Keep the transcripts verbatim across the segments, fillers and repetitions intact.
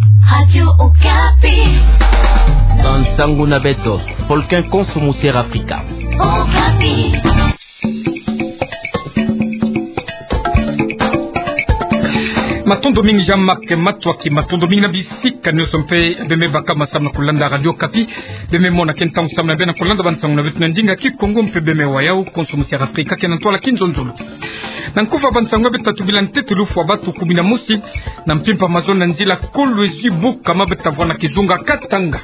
Radio Okapi. Bansango na beto, Polkin konso musier Afrika. Okapi. Matondo mingi Jean-Marc Matuaki, matondo mingi na bisika nyonso mpe beme baka masamu na kulanda Radio Okapi. Beme mona ke ntangu samu na beno na kulanda bansango na beto na ndinga Kikongo mpe beme wa yau konso musier Afrika ke na ntwala kinzonzolo. Na nkufi ya bansango beto tatu bila ntete lufwa batu kumi na mosi na mpimpa mazono na nzila Kolwezi Bukama beto tavwa na kizunga Katanga.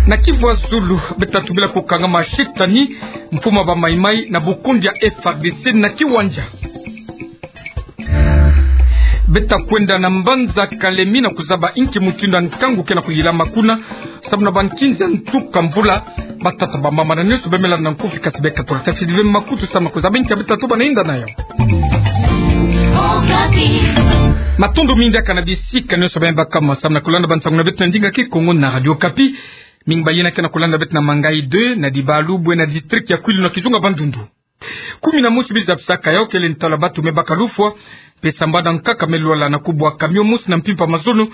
Na Kivu ya Zulu beto tatu bila kukangama shetani, mfumu wa ba Mai-Mai na bukundi ya F R D C na Kiwanja. Beto takwenda na mbanza Kalemi na kuzaba inki mutindu ya nkangu ke na kuyilama kuna, samu na bankinzi ya ntuka mvula. Batata, bamama na nyonso beme landa na nkufi kasi beka tula tafidi beme makutu samu na kuzaba inki ya beto tatu bana yinda na yau. Matondo mingi diaka na bisika nyonso beme baka masamu na kulanda bansango na beto na ndinga Kikongo na Radio Okapi. Mingi bayina ke na kulanda beto na Mangayi deux, na Dibalu, bwe na district ya Kwilu na kizunga Bandundu. Kumi na mosi bizabisaka yau kele ntalu ya batu me baka lufwa, mpe sambanu nkaka me lwala na kubwa camion mosi na mpimpa mazono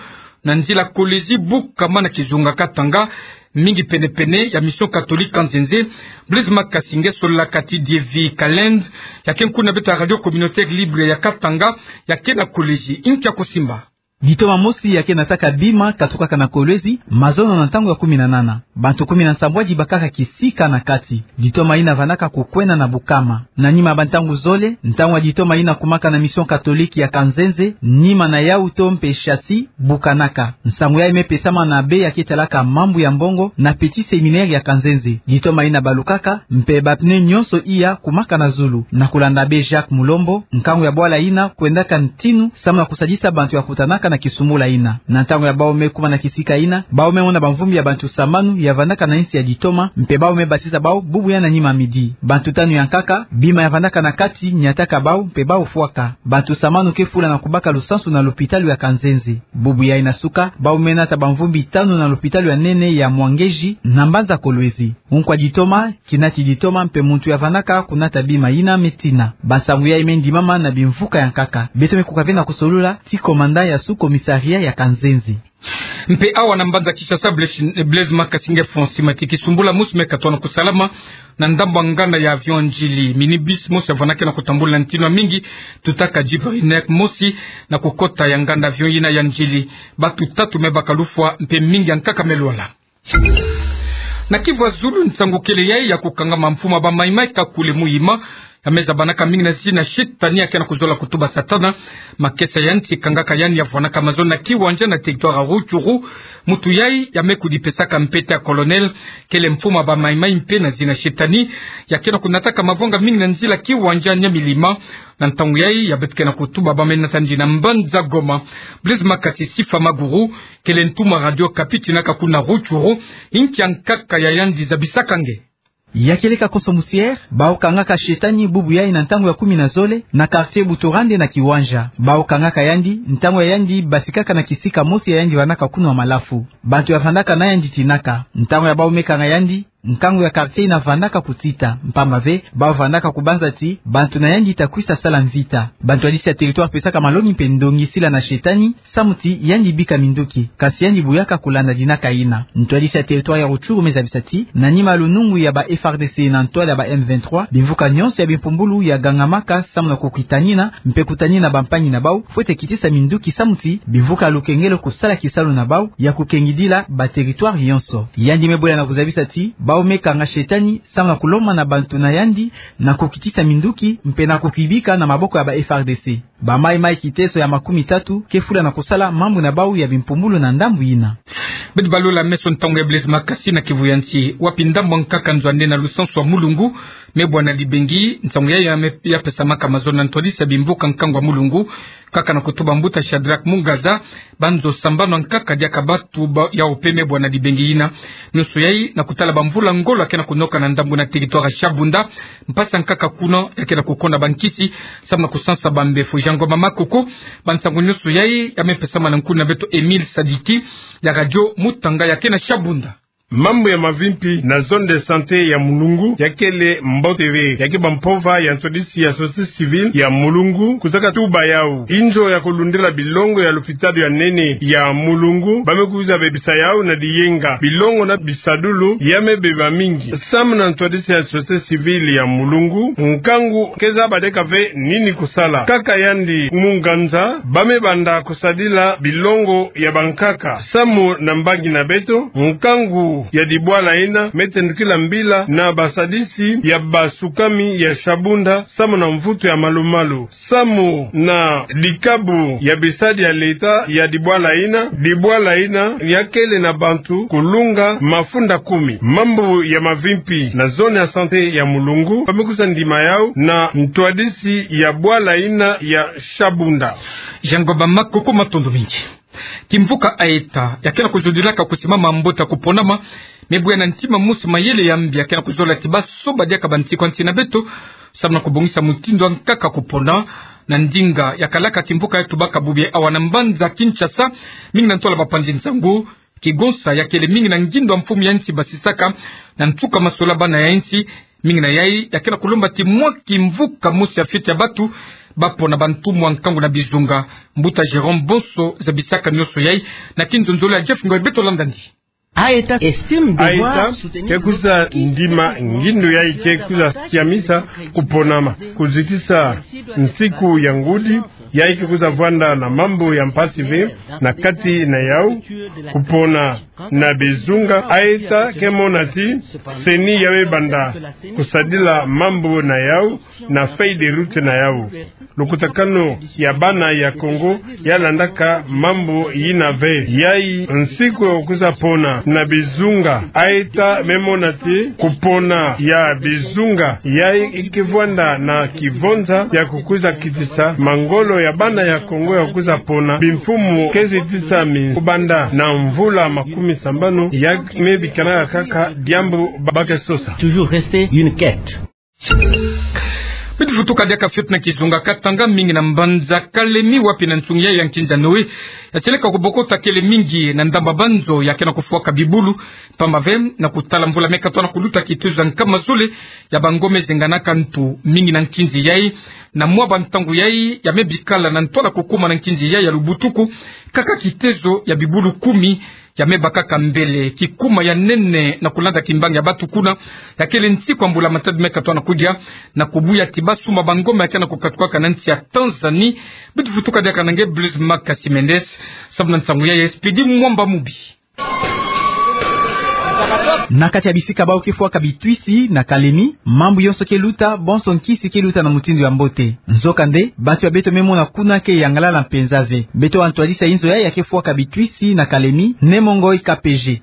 na nzila Kolwezi Bukama na kizunga Katanga, mingi pene-pene ya Mission Catholique Kanzenze. Blaise Makasi nge sololaka ti Dievi Kalend, ya ke nkuna beto ya Radio Communautaire Libre ya Katanga, ya ke na Kolwezi. Inki ya kusimba? Ditoma mosi ya ke nataka bima katukaka na Kolwezi, mazono na ntangu ya kumi na nana. Bantu kumi na nsambwadi bakaka kisika na kati. Ditoma yina vandaka kukwenda na Bukama. Na nima ya bantangu zole, ntangu ya ditoma yina kumaka na Mission Catholique ya Kanzenze, nima na yau to mpe châssis, bukanaka. Nsangu yayi me pesama na abbé ya ke talaka mambu ya mbongo na petit séminaire ya Kanzenze. Ditoma yina balukaka, mpe ba pneu nyonso iya kumaka na zulu. Na kulanda abbé Jacques Mulombo, nkangu ya bwala yina kwendaka ntinu, samu na kusadisa bantu ya kutanaka na kisumbula yina. Na ntangu ya bau me kuma na kisika yina, bau me mona bamvumbi ya bantu sambanu ya vandaka na nsi ya ditoma, mpe bau me basisa bau bubu ya na nima midi. Bantu tanu ya nkaka, bima ya vandaka na kati, niataka bau, mpe bau fwaka. Bantu sambanu ke fula na kubaka lusansu na lopitalo ya Kanzenze. Bubu yayi na suka, bau me nata bamvumbi tanu na lopitalo ya nene ya Mwangeji, na mbanza Kolwezi. Nkwa ditoma, kinati ditoma mpe muntu ya vandaka kunata bima yina me tina. Bansangu yayi me ndimama na bimvuka ya nkaka. Beto me kuka ve na kusolula ti commandant ya sous-commissariat ya Kanzenze. Mpe awa na mbanza Kinshasa, Blaise, Blaise Makasi nge fonsi mati kisumbula mosi me katona kusalama na ndambu ya nganda ya avion ya Ndjili. Minibus mosi ya vandaka na kutambula ntinu ya mingi, tutaka Jibrinek mosi na kukota ya nganda avion yina ya Ndjili. Batu tatu me baka lufwa mpe mingi ya nkaka me lwala. Na Kivu ya Zulu, nsangu kele yayi ya kukangama mfumu wa ba Mai-Mai Kakule Muhima, ya me zabanaka mingi na zina shetani ya ke na kuzola kutuba Satana. Makesa ya nti kangaka yandi ya vwanaka mazono na Kiwanja na territoire ya Rutshuru. Muntu yayi ya me kudipesaka mpete ya colonel, kele mfumu wa ba Mai-Mai mpe na zina shetani, ya ke na kunataka mavanga mingi na nzila Kiwanja Nyamilima. Na ntangu yayi ya beto ke na kutuba ba me nata yandi na mbanza Goma. Blaise Makasi Sifa Maguru, kele ntumwa Radio Okapi tinaka kuna Rutshuru, inki ya nkaka ya yandi zabisaka nge? Ya kieleka konso musier, bau kangaka shetani bubu yayi na ntangu ya kumi na zole, na quartier Buturande na Kiwanja. Bau kangaka yandi, ntangu ya yandi basikaka na kisika mosi ya yandi vandaka kunwa malafu. Bantu ya vandaka na yandi tinaka. Ntangu ya bau me kanga yandi, nkangu ya quartier yina vandaka kutita, mpamba ve, bau vandaka kubanza ti, bantu na yandi ta kwisa sala mvita. Bantwadisi ya territoire pesaka malongi mpe ndongi sila na shetani, samu ti yandi bika minduki, kasi yandi buyaka kulanda dinaka yina. Ntwadisi ya territoire ya Rutshuru me zabisa ti, na nima ya lunungu ya ba F R D C na ntwala ya ba M vingt-trois, bimvuka nyonso ya bimpumbulu ya gangamaka samu na kukitanina, mpe kutanina bampangi na bau, fwete kitisa minduki samu ti, bimvuka ya lukengelo kusala kisalu na bau, ya kukengidila ba territoire yonso. Yandi me bwela na kuzabisa ti, bau me kanga shetani, samu na kulomba na bantu na yandi, na kukitisa minduki, mpe na kukibika na maboko ya ba F R D C. Ba Mai-Mai kiteso ya makumi tatu ke fula na kusala mambu na bau ya bimpumbulu na ndambu yina. Beto balola meso ntangu ya Blaise Makasi na Kivu ya Nsi. Wapi ndambu ya nkaka nzo ya nene ya lusansu ya Mulungu, me bwa na Dibengi, ntangu yayi ya me, ya pesamaka mazono na ntwadisi ya bimvuka nkangu ya Mulungu, nkaka na kutuba mbuta Shadrach Mungaza, banzo sambanu ya nkaka diaka batu ba, yau mpe me bwa na Dibengi yina. Nyonso yayi na kutala bamvula ngolo ya ke na kunoka na ndambu na territoire ya Shabunda, mpasi ya nkaka kuna ya ke na kukonda bankisi, samu na kusansa bambefo. Jean Ngoma Makoko, bansangu nyonso yayi ya me pesama na nkuna beto Emile Sadiki, ya Radio Mutanga ya ke na Shabunda. Mambu ya mavimpi na zone de santé ya Mulungu yakele mbote ve. Ya ke ba mpova ya ntwadisi ya société civile ya Mulungu kuzaka tuba yau. Inzo ya kulundila bilongo ya lopitalo ya nene ya Mulungu, ba me kwiza bebisa yau na diyenga. Bilongo na bisadulu ya me beba mingi. Samu na ntwadisi ya société civile ya Mulungu, nkangu keza badiaka ve nini kusala. Kaka yandi mu nganza, ba me banda kusadila bilongo ya bankaka. Samu na mbangi na beto, nkangu ya dibwala ina me tendukila mbila na basadisi ya basukami ya Shabunda, samu na mvutu ya malu-malu. Samu na dikabu ya bisadi ya leta ya dibwala ina, dibwala ina yakele na bantu kulunga mafunda kumi. Mambu ya mavimpi na zone ya santé ya Mulungu, ba me kwiza ndima yau na ntwadisi ya bwala ina ya Shabunda. Jango ba makoko, matondo mingi. Kimvuka Aeta, ya ke na kuzudilaka kusimama mbote ya kuponama, me buya na ntima mosi mayele ya mbi ya ke na kuzola ti baso badiaka bansiku ya nsi na beto, samu na kubongisa mutindu ya nkaka kupona. Na ndinga ya kalaka kimvuka ya tubaka bubi awa na mbanza Kinshasa, mingi na ntwala bapanzi nsangu, kigonsa yakele mingi na ngindo ya mfumu ya nsi basisaka na nsuka masolabana ya nsi. Mingi na yai ya ke na kulomba ti mwa kimvuka mosi ya fioti ya batu bapona bantumwa nkangu na bizunga. Mbuta Jérôme Bonso zabisaka nionso yai na kinzonzolo ya Jeff Ngoy. Beto landa ndi. Aeta estime devoir Aeta soutenir ke kwiza ndima ngindo yai ke kwiza siamisa kuponama, kuzitisa nsiku ya ngudi, yai ke kwiza vwanda na mambu ya mpasi ve na kati na yau, kupona na bizunga. Aeta ke mona ti CENI ya me banda kusadila mambu na yau na feuille de route na yau. Lukutakanu ya bana ya Kongo ya landaka mambu yina ve. Yai nsiku ya kwiza pona na bizunga. Aeta me mona ti kupona ya bizunga yai ke vwanda na kivonza ya kukwiza kitisa mangolo ya bana ya Kongo ya kwiza pona bimfumu ke zitisa minsi kubanda na mvula makumi sambanu, ya me bikanaka kaka diambu ba ke sosa. Toujours rester une quête. Beto vutuka diaka fioti na kizunga Katanga, mingi na mbanza Kalemi, wapi na nsungi yai ya nkinza Noé ya seleka kubokota kele mingi na ndamba banzo ya ke na kufwaka bibulu. Pamba ve, na kutala mvula me katwa na kuluta, kitezo ya nkama zole ya bangombe zenganaka ntu mingi na nkinzi yai. Na mwa bantangu yai ya me bikala na ntwala kukuma na nkinzi yai ya lubutuku, kaka kitezo ya bibulu kumi ya me bakaka mbele. Kikuma ya nene na kulanda kimbangi ya batu kuna ya kele nsiku ya mbula matadi me katwa na kudia, na kubuya ti basumba bangombe ya ke na kukatukaka na nsi ya Tanzanie. Beto vutuka diaka na nge Blaise Makasi Mendes, samu na nsangu yai ya Expédit Mwamba Mubi. Na kati ya bisika bau ke fwaka bitwisi na Kalemi, mambu yonso ke luta, bonso nkisi ke luta na mutindu ya mbote. Nzokande, bantu ya beto me mona kuna ke yangalala mpenza ve. Beto wa ntwadisi ya inzo yai ya ke fwaka bitwisi na Kalemi, Nemongo Ikapeje.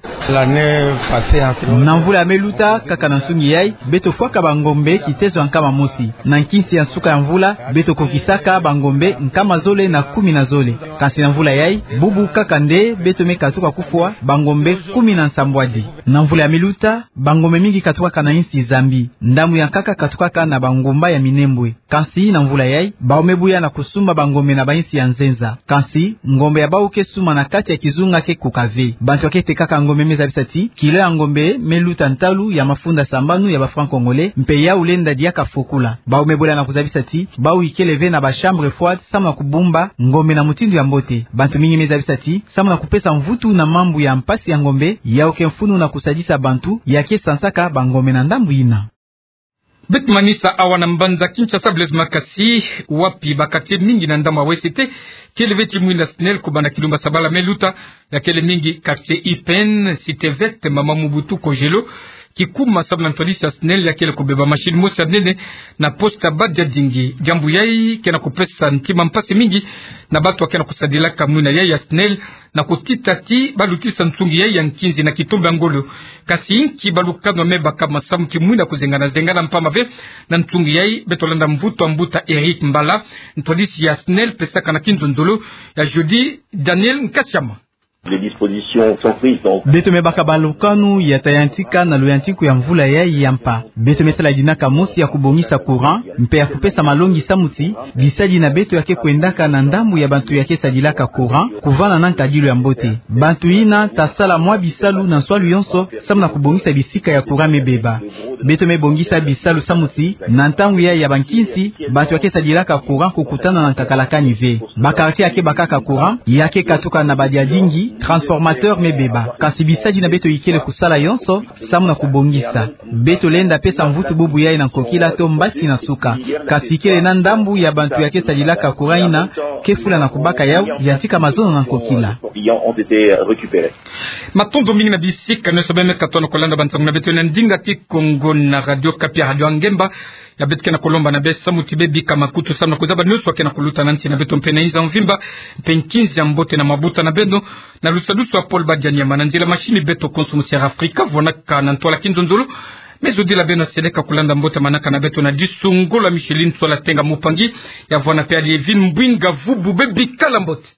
Na mvula ya me luta, kaka na nsungi yai, beto fwaka bangombe kitezo ya nkama mosi. Na nkinsi ya nsuka ya mvula, beto kokisaka bangombe nkama zole na kumi na zole. Kansi na mvula yai, bubu kaka nde beto me katuka kufwa bangombe kumi na nsambwadi. Na mvula ya me luta, bangombe mingi katukaka na insi Zambie. Ndambu ya nkaka katukaka na bangomba ya Minembwe. Kansi na mvula yai, bau me buya na kusumba bangombe na bainsi ya nzenza. Kansi ngombe ya bau ke sumba na kati ya kizunga ke koka ve. Bantu ya ke tekaka ngombe me zabisa ti kilo ya ngombe me luta ntalu ya mafunda sambanu ya ba francs congolais, mpe yau lenda diaka fokula. Bau me bwela na kuzabisa ti bau ikele ve na ba chambre froide samu na kubumba ngombe na mutindu ya mbote. Bantu mingi me zabisa ti samu na kupesa mvutu na mambu ya mpasi ya ngombe, yau ke mfunu na kusadisa bantu ya ke sansaka bangombe na ndambu yina. Beto manisa awa na mbanza Kinshasa, Blaise Makasi, wapi ba quartier mingi na ndambu ya Ouest kele ve ti mwinda SNEL kubanda kilumbu ya sabala me luta. Ya kele mingi quartier I P N, Cité Verte, Mama Mobutu, Kojelo. Kikuma samu na ntwadisi ya SNEL ya kele kubeba machine mosi ya nene na poste ya Badiadingi. Diambu yai ke na kupesa ntima mpasi mingi na bantu ya ke na kusadilaka mwinda yai ya SNEL, na kutita ti ba lutisa nsungi yai ya nkinzi na kitombe ya ngolo. Kansi inki balukanu ya me baka masamu ti mwinda kuzengana-zengana? Mpamba ve, na nsungi yai beto landa mvutu ya mbuta Eric Mbala, ntwadisi ya SNEL, pesaka na kinzonzolo ya Jody Daniel Nkasiama. Les dispositions sont prises, donc. Beto me baka balukanu ya ta yantika na luyantiku ya mvula yayi ya mpa. Beto me sala dinaka mosi ya kubongisa courant, mpe ya kupesa malongi samu ti bisadi na beto ya ke kwendaka na ndambu ya bantu ya ke sadilaka courant, kuvana na nkadilu ya mbote. Bantu yina ta sala mwa bisalu na nswalu yonso, samu na kubongisa bisika ya courant me beba. Beto me bongisa bisalu samu ti, na ntangu yayi ya bankinsi, bantu ya ke sadilaka courant kukutana na nkakalakani ve. Ba quartier ya ke bakaka courant, ya ke katuka na badiadingi, transformateur me beba. Kasi bisadi na beto ikele kusala yonso, samu na kubongisa. Beto lenda pesa mvutu bubu yayi na nkokila to mbasi na suka. Kasi ikele na ndambu ya bantu ya ke sadilaka courant yina, ke fula na kubaka yawu, yantika mazono na nkokila. Matondo mingi na bisika nyonso beno me katuka na kulanda bansangu na beto na ndinga Kikongo na Radio Okapi, Radio Ngemba. Ya beto ke na kulomba na beno samu ti beno bika makutu samu na kuzaba nyonso ke na kuluta na nsi na beto mpe na inza mvimba, mpe nkinzi ya mbote na mabuta na beno, na lusadusu ya Paul Badianyama, na nzila machine beto konso musiara Afrika, vwanaka na ntwala kinzonzolo. Me zodila beno seleka kulanda mbote manaka na beto na disu ngolo ya Micheline Sola Tenga Mupangi, ya vwana mpe Alievine Mbwinga Vubu, beno bikala mbote.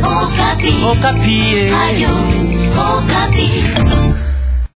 Okapi. Okapi, eh. Radio Okapi.